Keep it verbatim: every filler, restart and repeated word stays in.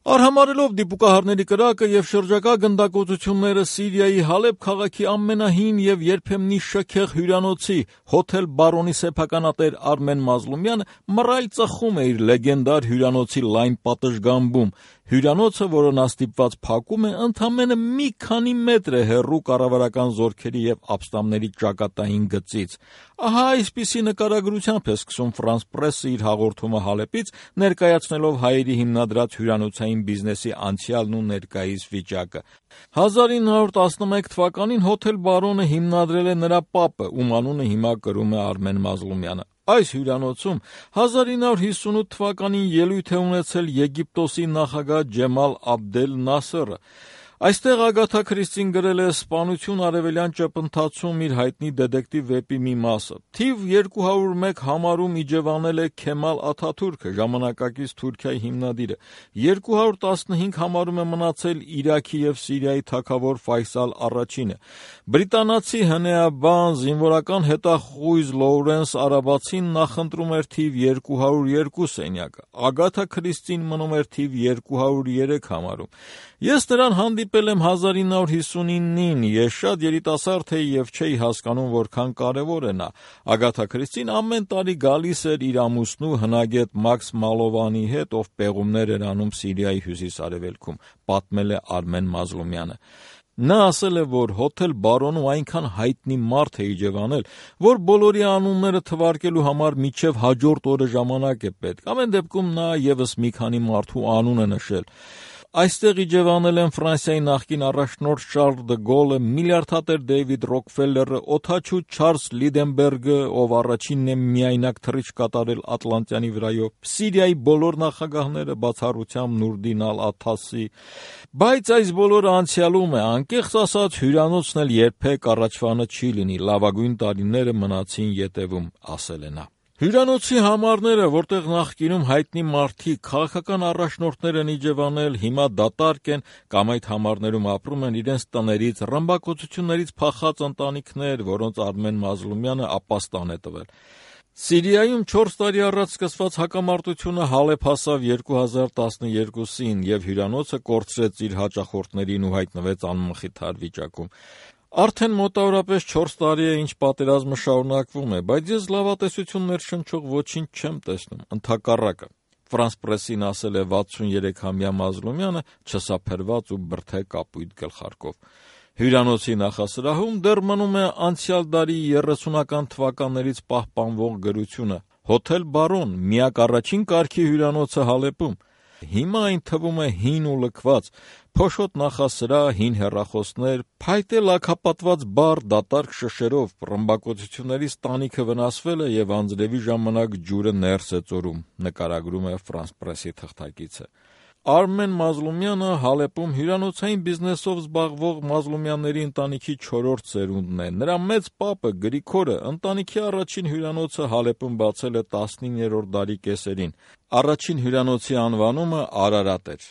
Արհամարելով դիպուկահարների կրակը եւ շրջակա գնդակոծությունները Սիրիայի Հալեբ քաղաքի ամենահին եւ երբեմնի շքեղ հյուրանոցի հոթել Բարոնի սեփականատեր Արմեն Մազլումյանը մռայլ ծխում է իր լեգենդար հյուրանոցի լայն պատշգամբում։ Հյուրանոցը, որն աստիպված փակում է, ընդամենը մի քանի մետր է հեռու կառավարական զորքերի եւ ապստամբների ճակատային գծից։ Ահա այսպիսի նկարագրությամբ է սկսում Ֆրանս Պրեսը իր հաղորդումը Հալեպից, ներկայացնելով հայերի հիմնադրած հյուրանոցային բիզնեսի անցյալն ու ներկայիս վիճակը։ հազար ինը հարյուր տասնմեկ թվականին հոթել Բարոնը հիմնադրել է նրա պապը, ում անունը հիմա կրում է Արմեն Մազլումյանը։ Այս հյուրանոցում հազար ինը հարյուր հիսունութ թվականին ելույթ է ունեցել Եգիպտոսի նախագահ Ջեմալ Աբդել Նասերը։ Այստեղ Ագաթա Քրիստին գրել է «Սպանություն արևելյան ճեպընթացում» իր հայտնի դետեկտիվ վեպի մի մասը։ Թիվ երկու հարյուր մեկ համարում իջևանել է Քեմալ Աթաթուրքը, ժամանակակից Թուրքիայի հիմնադիրը։ երկու հարյուր տասնհինգ համարում է մնացել Իրաքի եւ Սիրիայի թագավոր Ֆայսալ առաջինը։ Բրիտանացի հնեաբան, զինվորական հետախույզ Լոուրենս Արաբացին նախընտրում էր թիվ երկու հարյուր երկու սենյակը։ Ագաթա Քրիստին մնում էր թիվ երկու հարյուր երեք համարում։ Ես նրան հանդիպել եմ հազար ինը հարյուր հիսունինին, ես շատ երիտասարդ էի եւ չէի հասկանում որքան կարեւոր է նա։ Ագաթա Քրիստին ամեն տարի գալիս էր իր ամուսնու հնագետ Մաքս Մալովանի հետ, ով պեղումներ էր անում Սիրիայի հյուսիս-արևելքում, պատմել է Արմեն Մազլումյանը։ Նա ասել է, որ հոթել Բարոնու այնքան հայտնի մարդ է իջևանել, որ բոլորի անունները թվարկելու համար մինչև հաջորդ օրը ժամանակ է պետք։ Ամեն դեպքում նա եւս մի քանի մարդու անուն է նշել։ Այստեղ իջևանել են Ֆրանսիայի նախկին առաջնորդ Շարլ դը Գոլը, միլիարդատեր Դեյվիդ Ռոքֆելլերը, օդաչու Չարլզ Լիդենբերգը, ով առաջինն է միայնակ թռիչք կատարել Ատլանտյանի վրայով, Սիրիայի բոլոր նախագահները, բացառությամբ Նուրդին ալ-Աթասի։ Բայց այս բոլորը անցյալում է, անկեղծ ասած, հյուրանոցն էլ երբեք առաջվանը չի լինի, լավագույն տարիները մնացին ետևում, ասել է նա։ Հյուրանոցի համարները, որտեղ նախկինում հայտնի մարդիկ, քաղաքական առաջնորդներ են իջևանել, հիմա դատարկ են կամ այդ համարներում ապրում են իրենց տներից, ռմբակոծություններից փախած ընտանիքներ, որոնց Արմեն Մազլումյանը ապաստան է տվել։ Սիրիայում չորս տարի առաջ սկսված հակամարտությունը Հալեբ հասավ երկու հազար տասնյոթին եւ հյուրանոցը կորցրեց իր հաճախորդներին ու հայտնվեց անմխիթար վիճակում։ Արդեն մոտավորապես չորս տարի է, ինչ պատերազմը շարունակվում է, բայց ես լավատեսություններ շնչող ոչինչ չեմ տեսնում, ընդհակառակը։ Ֆրանս Պրեսին ասել է վաթսուներեքամյա Մազլումյանը չսափերված ու բրդե կապույտ գլխարկով։ Հյուրանոցի նախասրահում դեռ մնում է անցյալ դարի երեսունական թվականներից պահպանվող գրությունը՝ «Հոթել Բարոն, միակ առաջին կարգի հյուրանոցը Հալեպում»։ Հիմա այն թվում է հին ու լքված, փոշոտ նախասրահ, հին հեռախոսներ, փայտե լաքապատված բար դատարկ շշերով, ռմբակոծություններից տանիքը վնասվել է եւ անձրևի ժամանակ ջուրը ներս է ծորում, նկարագրում է Ֆրանս Պրեսի թղթակիցը։ Արմեն Մազլումյանը Հալեպում հյուրանոցային բիզնեսով զբաղվող Մազլումյանների ընտանիքի չորրորդ սերունդն է։ Նրա մեծ պապը Գրիգորը ընտանիքի առաջին հյուրանոցը Հալեպում բացել է տասնիններորդ դարի կեսերին։ Առաջին հյուրանոցի անվանումը Արարատ էր։